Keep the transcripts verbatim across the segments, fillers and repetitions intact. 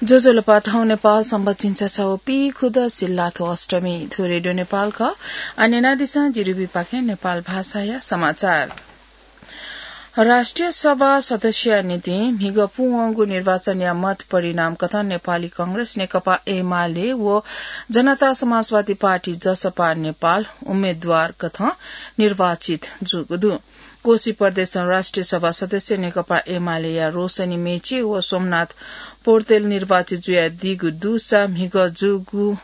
ज्वजलपा, थौं नेपाल संवत झिंछसः व पीखुदँ सिल्लाथ्व अष्टमी। थ्व रेडियो नेपाल खः। आः न्यनादिसँ जिरिबीपाखें नेपाल भाषाया समाचार। राष्ट्रिय सभा सदस्यया निंतिं म्हिगः पूवंगु निर्वाचनया मत परिणाम कथं नेपाली कांग्रेस, नेकपा एमाले व जनता समाजवादी पार्टी, जसपा नेपाल, उम्मेदवार कथं निर्वाचित जूगु दु। कोशी प्रदेशं राष्ट्रिय सभा सदस्य नेकपा एमालेया रोशनी मेचे व सोमनाथ पौडेल निर्वाचित जुयादीगु दुसा म्हिगः जूगु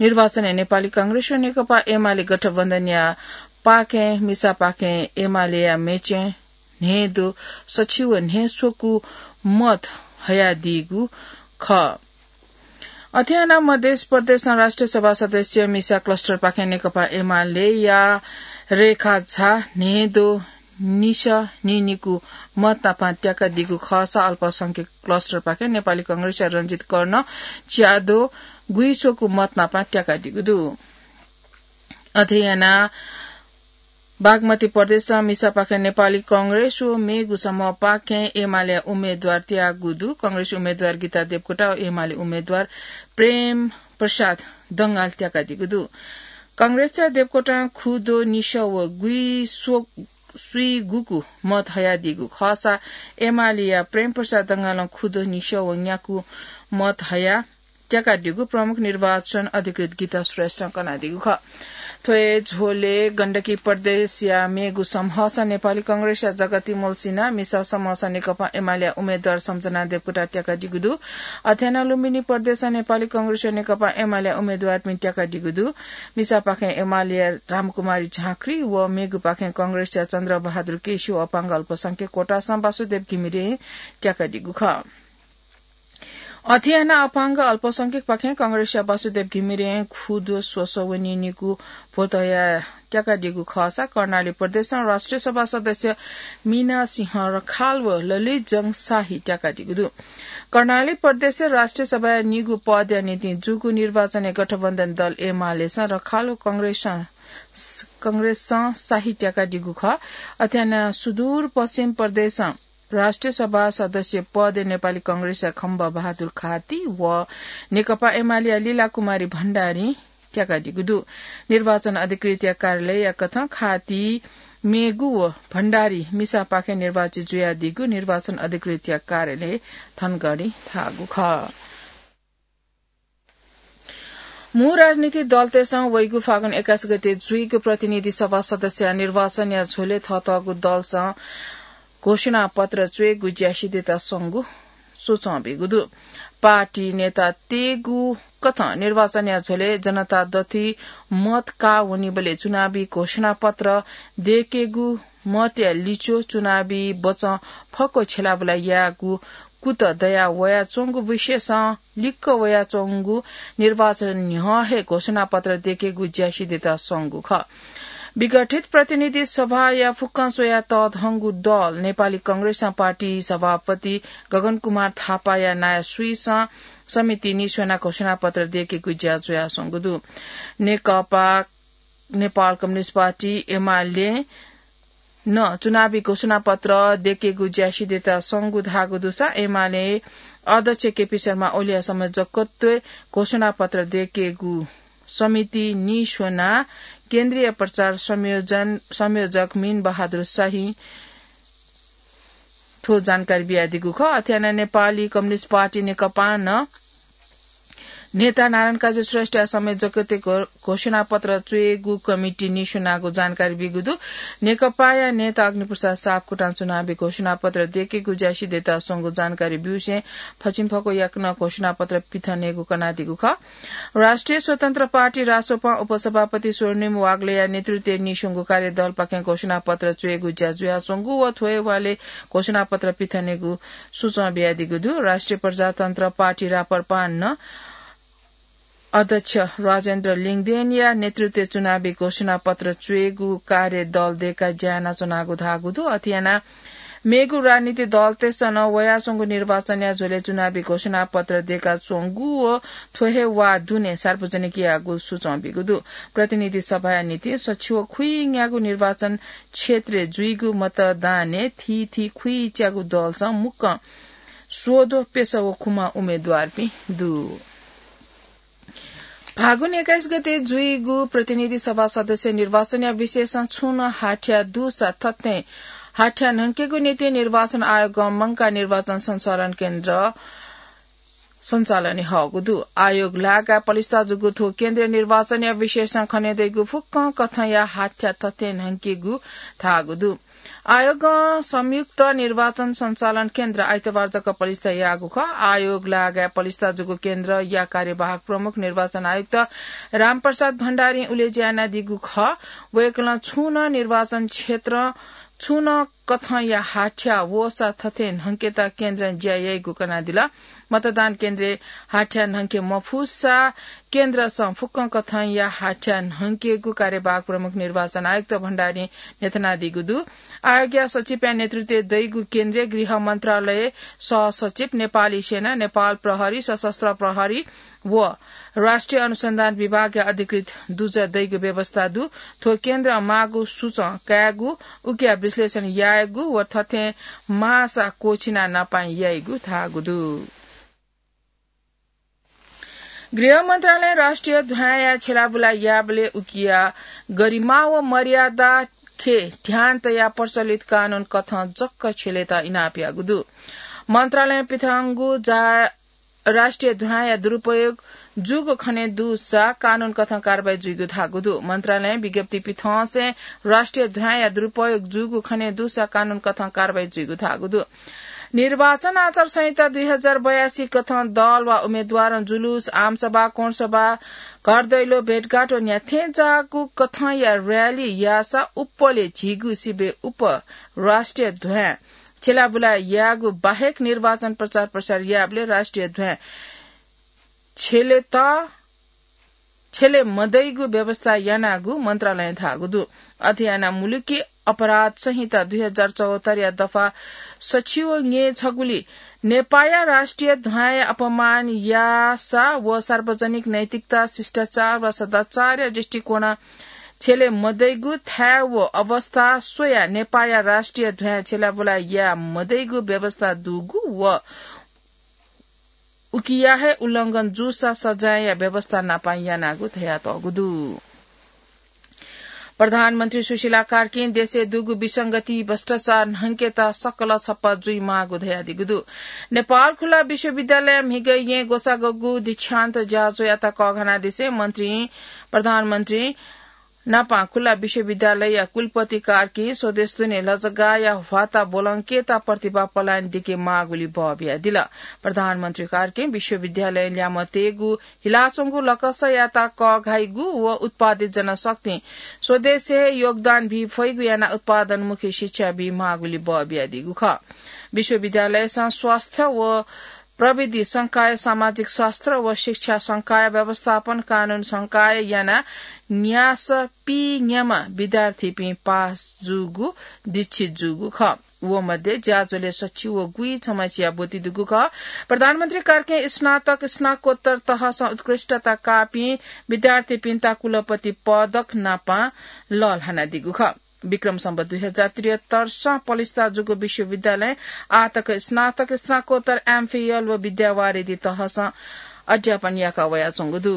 निर्वाचनय् नेपाली कांग्रेस व नेकपा एमाले गठबन्धनया पाखें मिसापाखें एमालेया मेचें न्हय्दँ सछि व न्हय्स्वकू मत हयादीगु खः। अथे यानाः मध्य प्रदेशं राष्ट्रिय सभा सदस्य मिसा क्लस्टरपाखें नेकपा एमालेया रेखा झा न्हय्दँ निसः नीनिकू मत नापं त्याकादीगु खःसा अल्पसंख्यक क्लस्टरपाखें नेपाली कांग्रेसया रंजित कर्ण च्यादँ गुइस्वकू मत नापं त्याकादीगु दु। अथे यानाः बागमती प्रदेशं मिसापाखें नेपाली कांग्रेस व मेगु समूहपाखें एमालेया उम्मेदवार त्याःगु दु। कांग्रेस उम्मेदवार गीता देवकोटा व एमाले उम्मेदवार प्रेम प्रसाद दंगाल त्याकादीगु दु। कांग्रेसया देवकोटां खुद्वः निसः व गुइस्वकू स्वीगुकू मत हयादीगु खःसा एमालेया प्रेम प्रसाद दंगालं खुद्वः निसः व न्याकू मत हयाः त्याकादीगु प्रमुख निर्वाचन अधिकृत गीता श्रेष्ठं कनादीगु खः। थ्व हे झ्वलय् गण्डकी प्रदेशया मेगु समूहसं नेपाली कांग्रेसया जगती मल्लसिन्हा, मिसा समूहसं नेकपा एमालेया उम्मेदवार सम्झना देवकोटा त्याकादीगु दु। अथे यानाः लुम्बिनी प्रदेशं नेपाली कांग्रेस व नेकपा एमालेया उम्मेदवारपिं त्याकादीगु दु। मिसापाखें एमालेया रामकुमारी झाँक्री व मेगुपाखें कांग्रेसया चन्द्रबहादुर केसी व अपाङ्ग अल्पसंख्यक कोटासं वासुदेव घिमिरें त्याकादीगु खः। अथे यानाः अपाङ्ग अल्पसंख्यकपाखें कांग्रेसया वासुदेव घिमिरें खुद्वः स्वसः व नीनिकू भोट हयाः त्याकादीगु खःसा कर्णाली प्रदेशं राष्ट्रिय सभा सदस्य मीना सिंह रखाल व ललित जंग शाही त्याकादीगु दु। कर्णाली प्रदेशय् राष्ट्रिय सभाया निगू पदया निंतिं जूगु निर्वाचनय् गठबन्धन दल एमालेसं रखाल व कांग्रेसं, कांग्रेसं शाही त्याकादीगु खः। अथे यानाः सुदूर पश्चिम प्रदेशं राष्ट्रिय सभा सदस्य पदय् नेपाली कांग्रेसया खम्ब बहादुर खाती व नेकपा एमालेया लीला कुमारी भण्डारीं त्याकादीगु दु। निर्वाचन अधिकृतया कार्यालयया कथं खाती मेगु व भण्डारी मिसापाखें निर्वाचित जुयादीगु निर्वाचन अधिकृतया कार्यालय धनगढीं धाःगु खः। मू राजनीतिक दलतय्सं वइगु फागुन एक्काइस गते जुइगु प्रतिनिधि सभा सदस्यया निर्वाचनया झ्वलय् थःथःगु दलसं घोषणापत्र च्वयेगु ज्या सिधयेत स्वंगु सूचं बीगु दु। पार्टी नेतातय्गु कथं निर्वाचनया झ्वलय् जनता दथुइ मत काः वनीबलय् चुनावी घोषणापत्र दय्केगु मतया लिच्वः चुनावी बचं फक्व छ्यलाबुला यायेगु कुतः दया वयाच्वंगु विषयसं लिक्क वयाच्वंगु निर्वाचन न्ह्यः हे घोषणापत्र दय्केगु ज्या सिधयेत स्वंगु खः। विघटित प्रतिनिधि सभाया फुक्कं स्वयाः तःधंगु दल नेपाली कांग्रेसं पार्टी सभापति गगन कुमार थापाया नायः स्वीसं समिति निस्वनाः घोषणापत्र दय्केगु ज्या जुयाच्वंगु दु। नेकपा नेपाल कम्युनिस्ट पार्टी, एमाले, नं चुनावी घोषणापत्र दय्केगु ज्या सिधयेत स्वंगु धाःगु दुसा एमाले अध्यक्ष केपी शर्मा ओलीया संयोजकत्वय् घोषणापत्र दय्केगु समिति निस्वनाः केन्द्रीय प्रचार संयोजन, संयोजक मीन बहादुर शाहीं थ्व जानकारी बियादीगु खः। अथे यानाः नेपाली कम्युनिस्ट पार्टी नेकपां नं नेता नारायण काजी श्रेष्ठया संयोजकत्वय् घो-, घोषणापत्र च्वयेगु कमिटी निस्वनागु जानकारी बीगु दु। नेकपाया नेता अग्निप्रसाद सापकोटां चुनावी घोषणापत्र दय्केगु ज्या सिधयेत स्वंगु जानकारी ब्यूसें फछिंफक्व याकनं घोषणापत्र पिथनेगु कनादीगु खः। राष्ट्रिय स्वतन्त्र पार्टी, रासोपां उपसभापति स्वर्णिम वाग्लेया नेतृत्वय् निस्वंगु कार्यदलपाखें घोषणापत्र च्वयेगु ज्या जुयाच्वंगु व थ्व हे वालय् घोषणापत्र पिथनेगु सूचं बियादीगु दु। राष्ट्रिय प्रजातन्त्र पार्टी, राप्रपां नं अध्यक्ष राजेन्द्र लिङदेनया नेतृत्वय् चुनावी घोषणापत्र च्वयेगु कार्य दल दय्काः ज्या यानाच्वनागु धाःगु दु। अथे यानाः मेगु राजनीतिक दलतय्सं नं वयाच्वंगु निर्वाचनया झ्वलय् चुनावी घोषणापत्र दय्काच्वंगु व थ्व हे वाः दुने सार्वजनिक याःगु सूचं बीगु दु। प्रतिनिधि सभाया निंतिं सछि व खुइन्यागू निर्वाचन क्षेत्रय् जुइगु मतदानय् थीथी खुइच्यागू दलसं मुक्कं स्वद्वः प्यसः व खुम्ह उम्मेदवारपिं दु। फागुन एक्काइस गते जुइगु प्रतिनिधि सभा सदस्य निर्वाचनया विषयसं छुं नं हाथ्या दुसा थथें हाथ्या न्हंकेगु निंतिं निर्वाचन आयोगं मंकाः निर्वाचन सञ्चालन केन्द्र सञ्चालनय् हःगु दु। आयोग लागाय् पलिस्था जूगु थ्व केन्द्रय् निर्वाचनया विषयसं खनेदइगु फुक्कं कथंया हाथ्या थथें न्हंकेगु धाःगु दु। आयोगं संयुक्त निर्वाचन सञ्चालन केन्द्र आइतबार जक पलिस्था याःगु खः। आयोग लागाय् पलिस्था जूगु केन्द्रया कार्यवाहक प्रमुख निर्वाचन आयुक्त रामप्रसाद भण्डारीं उलेज्या यानादीगु खः। वय्कलं छुं नं निर्वाचन क्षेत्रं छुं नं कथंया हाथ्या वःसा थथें न्हंकेत केन्द्रं ज्या याइगु कनादिल। मतदान केन्द्रय् हाथ्या न्हंके मफुसा केन्द्रसं फुक्कं कथंया हाथ्या न्हंकेगु कार्यवाहक प्रमुख निर्वाचन आयुक्त भण्डारीं न्ह्यथनादीगु दु। आयोगया सचिवया नेतृत्वय् दइगु केन्द्रय् गृह मन्त्रालय, सहसचिव, नेपाली सेना, नेपाल प्रहरी, सशस्त्र प्रहरी व राष्ट्रिय अनुसन्धान विभागया अधिकृत दुजः दइगु व्यवस्था दु। थ्व केन्द्रं माःगु सूचं कायेगु, उकिया विश्लेषण यायेगु व थथें माःसा क्वःछिना नापां याइगु धाःगु दु। गृह मन्त्रालयं राष्ट्रिय ध्वाँया छ्यलाबुला याःबलय् उकिया गरिमा व मर्यादा खँय् ध्यान तयाः प्रचलित कानून कथं जक छ्यलेत इनाप याःगु दु। मन्त्रालयं पिथंगु जा-, राष्ट्रिय ध्वाँया दुरुपयोग जूगु खने दुसा कानून कथं कारवाही जुइगु धाःगु दु। मन्त्रालयं विज्ञप्ति पिथंसें राष्ट्रिय ध्वाँया दुरुपयोग जूगु खने दुसा कानून कथं कारवाही जुइगु धाःगु दु। निर्वाचन आचार संहिता दुई हजार बयासी कथं दल वा उम्मेदवारं जुलुस, आमसभा, कोणसभा, घरदैलो, भेटघाट व न्ह्याथें जाःगु कथंया र्‍याली याःसा उप्पलय् झीगु सिबय् उप राष्ट्रिय ध्वाँय् छ्यलाबुला याःगु बाहेक निर्वाचन प्रचार प्रसार याःबलय् राष्ट्रिय ध्वाँय् छ्यलेत छ्यले मदइगु व्यवस्था यानागु मन्त्रालयं धाःगु दु। अथे यानाः मुलुकी अपराध संहिता दुई हजार चौहत्तरया दफा सछि व ङे छगुली नेपाःया राष्ट्रिय ध्वाँया अपमान याःसा व सार्वजनिक नैतिकता, शिष्टाचार वा सदाचारया दृष्टिकोणं छ्यले मदइगु थाय् व अवस्था स्वयाः नेपाःया राष्ट्रिय ध्वाँय् छ्यलाबुला याये मदइगु व्यवस्था दुगु व उकिया हे उल्लंघन जूसा सजायया व्यवस्था नापं यानागु धयातःगु दु। प्रधानमन्त्री सुशीला कार्कीं देशय् दुगु विसंगति, भ्रष्टाचार न्हंकेत सकल छप्पा जुइमाःगु धयादीगु दु। नेपाल खुल्ला विश्वविद्यालय म्हिगः येँ ग्वसाःगु दीक्षान्त ज्याझ्वःयात कःघानादिसें मन्त्री, प्रधानमन्त्री नापं खुल्ला विश्वविद्यालयया कुलपति कार्कीं स्वदेश दुने लजगाःया ह्वाता ब्वलंकेत प्रतिभा पलायन दिके माःगुलिइ बः बियादिल। प्रधानमन्त्री कार्कीं विश्वविद्यालयं ल्याय्म्ह तयेगु हिलाच्वंगु लकसयात कःघाइगु व उत्पादित जनशक्तिं स्वदेशय् योगदान बी फइगु यानाः उत्पादनमुखी शिक्षा बी माःगुलिइ बः बियादीगु खः। विश्वविद्यालयसं स्वास्थ्य व प्रविधि संकाय, सामाजिक शास्त्र व शिक्षा संकाय, व्यवस्थापन कानून संकाय यानाः न्यासः पीन्याम्ह विद्यार्थीपिं पास जूगु, दीक्षित जूगु खः। व मध्ये ज्याझ्वलय् सछि व गुइछम्हसिया ब्वति दुगु खः। प्रधानमन्त्री कार्कीं स्नातक, स्नाकोत्तर तहसं उत्कृष्टता काःपिं विद्यार्थीपिन्त कुलपति पदक नापं लःल्हानादीगु खः। विक्रम सम्वत दुई हजार त्रिहत्तर सं पलिस्था जूगु विश्वविद्यालयं आःतक स्नातक, स्नाकोत्तर, एमफिल व विद्यावारिधि तहसं अध्यापन याका वयाच्वंगु दु।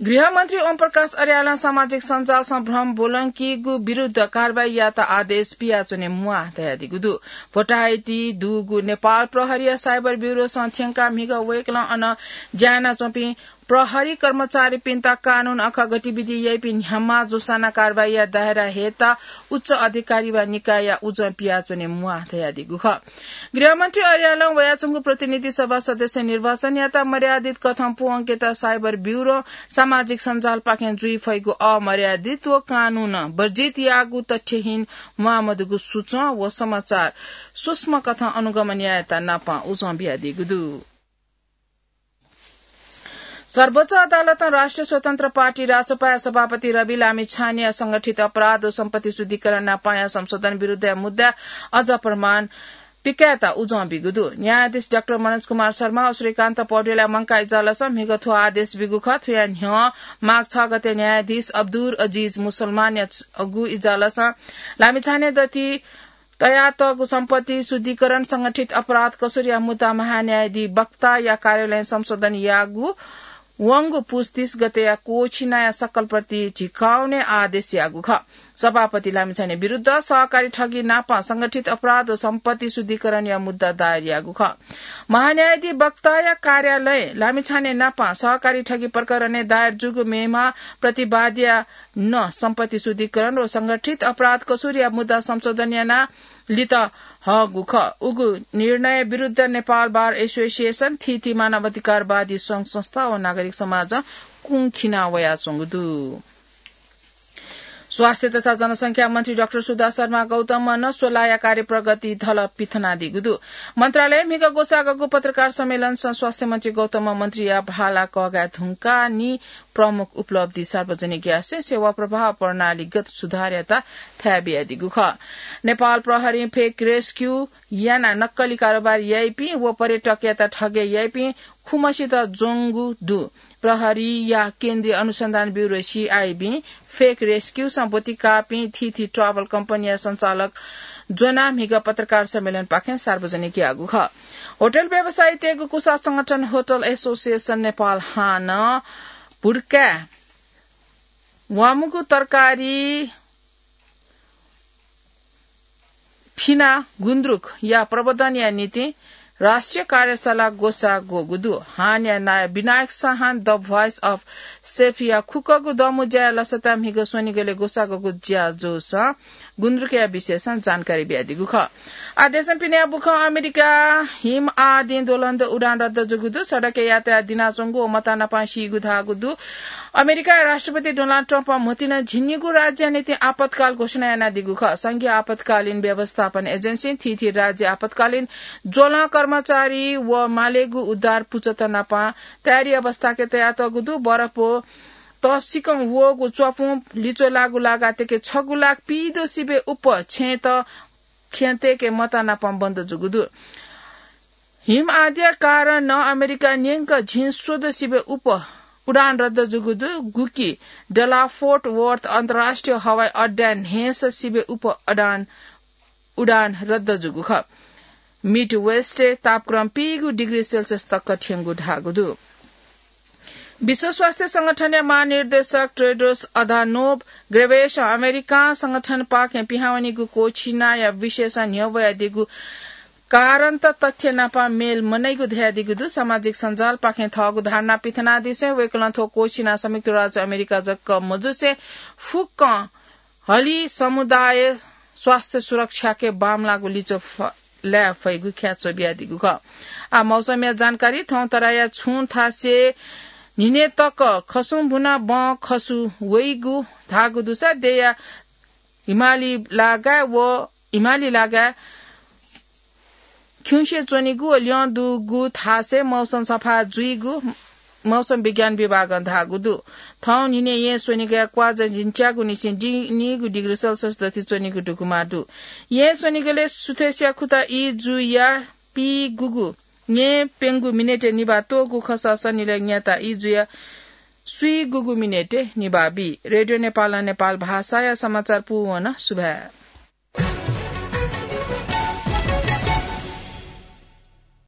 गृहमन्त्री ओम प्रकाश अर्यालं सामाजिक सञ्जालसं भ्रम ब्वलंकीगु विरुद्ध कारवाही यायेत आदेश बियाच्वने म्वाः धयादीगु दु। भोटाहाइति दुगु नेपाल प्रहरीया साइबर ब्युरोसं थ्यंकाः म्हिगः वय्कलं अन ज्या यानाच्वंपिं प्रहरी कर्मचारीपिन्त कानून अखा गतिविधि याइपिं न्ह्याम्ह जूसां नं कारवाहीया दायरा हयेत उच्च अधिकारी वा निकायया उजं पियाच्वने म्वाः धयादीगु खः। गृहमन्त्री अर्यालं वयाच्वंगु प्रतिनिधि सभा सदस्य निर्वाचनयात मर्यादित कथं पूवंकेत साइबर ब्युरों सामाजिक सञ्जालपाखें जुइ फइगु अमर्यादित व कानून वर्जित याःगु तथ्यहीन म्वाःमदुगु सूचं व समाचार सूक्ष्म कथं अनुगमन यायेत नापं उजं बियादीगु दु। सर्वोच्च अदालतं राष्ट्रिय स्वतन्त्र पार्टी रासोपाया सभापति रवि लामिछानेया संगठित अपराध व सम्पत्ति शुद्धिकरण नापंया संशोधन विरुद्धया मुद्दाय् अझ प्रमाण पिकायेत उजं बीगु दु। न्यायाधीश डाक्टर मनोज कुमार शर्मा व श्रीकान्त पौडेलया मंकाः इजलासं म्हिगः थ्व आदेश बीगु खः। थुया न्ह्यः माघ छ गते न्यायाधीश अब्दुल अजिज मुसलमानया छगू इजलासं लामिछाने दथुइ तयातःगु सम्पत्ति शुद्धिकरण संगठित अपराध कसुरीया मुद्दा महान्यायाधीश वक्ताया कार्यालयं संशोधन याःगु वंगु पुस तीस गतेया कोछिनाया सकल प्रति झिकाउने आदेश याःगु खः। सभापति लामिछाने विरुद्ध सहकारी ठगी नाप संगठित अपराध व सम्पत्ति शुद्धिकरणया मुद्दा दायर याःगु खः। महान्यायाधीश वक्ताया कार्यालय लामिछाने नाप सहकारी ठगी प्रकरणय् दायर जूगु मेमा प्रतिवादया नं सम्पत्ति शुद्धिकरण व संगठित अपराध कसुरीया मुद्दा संशोधन याना लित हःगु खः। उगु निर्णय विरुद्ध नेपाल बार एसोसिएसन, थीथी मानवाधिकारवादी संघ संस्था व नागरिक समाजं कुंखिना वयाच्वंगु दु। स्वास्थ्य तथा जनसंख्या मन्त्री डाक्टर सुधा शर्मा गौतमं नं स्वलाया कार्य प्रगति धलः पिथनादीगु दु। मन्त्रालयं म्हिगः ग्वसाःगु पत्रकार सम्मेलनसं स्वास्थ्य मन्त्री गौतमं मन्त्रीया भाला कःघाये धुंकाः नि प्रमुख उपलब्धि सार्वजनिक यासें सेवा प्रवाह प्रणालीगत सुधारयात थाय् बियादीगु खः। नेपाल प्रहरीं fake rescue यानाः नक्कली कारोबार याइपिं व पर्यटकयात ठगे याइपिं खुम्हसित ज्वंगु दु। प्रहरीया केन्द्रीय अनुसन्धान ब्युरो, सीआइबीं fake rescue सं ब्वति काःपिं थीथी travel कम्पनीया सञ्चालक ज्वनाः म्हिगः पत्रकार सम्मेलनपाखें सार्वजनिक याःगु खः। होटल व्यवसायीतय्गु कुसा संगठन होटल एसोसिएसन नेपाल हानं भुड्काय् वामुगु तरकारी फिना गुन्द्रुकया प्रवर्धनया निंतिं राष्ट्रिय कार्यशाला ग्वसाः ग्वःगु दु। हानया नायः विनायक साहान The Voice of Chef या खुक्कगु दमु ज्याय् लसताय् म्हिगः स्वनिगलय् ग्वसाः ग्वःगु ज्याझ्वलय् गुन्द्रुकया विषयसं जानकारी बियादीगु खः। आ देशं पिने बुखं अमेरिका हिम आदिं द्वलंद्वः उडान रद्द जूगु दु। सडकय् यातायात दिनाच्वंगु व मतानापं सीगु धाःगु दु। अमेरिकाया राष्ट्रपति डोनाल्ड ट्रम्पं म्हतिना झिंनिगू राज्यया निंतिं आपतकाल घोषणा यानादीगु खः। संघीय आपतकालीन व्यवस्थापन एजेन्सीं थीथी राज्य आपतकालीन ज्वलं कर्मचारी व मालेगु उद्धार पुचःत नाप तयारी अवस्थाय् तयातःगु दु। बरफ व तःसिकं वःगु च्वापुं लिच्वः लाःगु लागातय्के छगू लाख पीदँ सिबय् उप्पर छेँत ख्यंतय्के मतानापं बन्द जूगु दु। हिम आदिया कारणं अमेरिकाय् न्यंकं झिंस्वदँ सिबय् उप्पर उडान रद्द जूगु दु। गुकी डलास फोर्ट वर्थ अन्तर्राष्ट्रिय हवाई अड्डाय् न्हय्सः सिबय् उप्पर उडान, उडान रद्द जूगु खः। मिडवेस्टय् तापक्रम पीगू डिग्री सेल्सियस तक थ्यंगु धाःगु दु। विश्व स्वास्थ्य संगठनया महानिर्देशक टेड्रोस अधानोम गेब्रेयेससं अमेरिकां संगठनपाखें पिहां वनीगु कोछिनाया विषयसं न्ह्यब्वयादीगु कारणत तथ्य नाप मेल मनइगु धयादीगु दु। सामाजिक सञ्जालपाखें थःगु धारणा पिथनादिसें वय्कलं थ्व कोछिना संयुक्त राज्य अमेरिका जक मजुसे फुक्कं हलिं समुदाय स्वास्थ्य सुरक्षाके बांमलाःगु लिच्वः फ-, लाये फइगु ख्याच्वः बियादीगु खः। आ मौसमया जानकारी। थौं तराया छुं थासय् न्हिनय् तक खसुं बुना बं खसु वइगु धाःगु दुसा देया हिमाली लागाय् व हिमाली लागाय् खिउँसे च्वनीगु व ल्यं दुगु थासय् मौसम सफा जुइगु मौसम विज्ञान विभागं धाःगु दु। थौं न्हिनय् येँ स्वनिगलय् क्वाःझा झिंच्यागुनिसें दि-, नीगु डिग्री सेल्सियस दथुइ च्वनीगु दुगुमा दु। येँ स्वनिगलय् सुथसिया खुता ई जुया पीगुगु न्येप्यंगु मिनेटय् निभाः त्वःगु खःसा सनिलय् न्याता ई जुया स्वीगुगु मिनेटय् निभाः बी। रेडियो नेपालं नेपाल भाषाया समाचार पूवन सुभाय्।